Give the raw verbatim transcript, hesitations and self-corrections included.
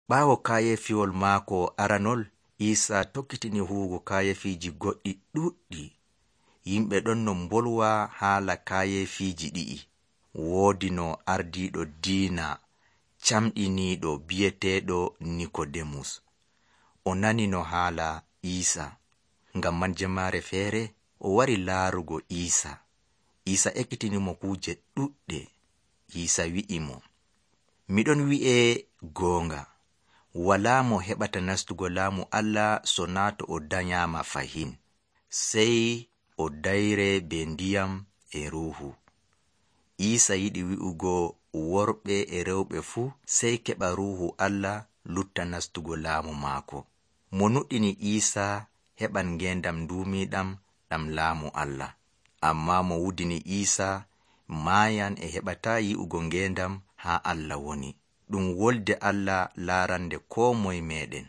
Ɓaawo kaayefiwol maako aranol, Iisaa tokkitini huwugo kaayefiiji goɗɗi ɗuuɗɗi. Yimɓe ɗon no mbolwa haala kaayefiiji ɗi'i. Woodi no ardiiɗo diina camɗiniiɗo bi'eteeɗo Nikodemus. O nani no haala Iisaa. Ngam man jamaare feere o wari laarugo Iisaa. Iisaa ekkitinimo kuuje ɗuɗɗe. Iisaa wi'i mo, miɗon wi'e goonga, walaa mo heɓata nastugo laamu Allah so naa to o danyaama fahin, sey o dayre be ndiyam e ruuhu. Iisaa yiɗi wi'ugo worɓe e rewɓe fuu sey keɓa ruuhu Allah lutta nastugo laamu maako. Mo nuɗɗini Iisaa heɓan ngeendam duumiiɗam ɗam laamu Allah. Ammaa mo wudini Iisaa maayan e heɓataa yi'ugo ngeendam haa Allah woni. Ɗum wolde Allah laarande koo moye meeɗen.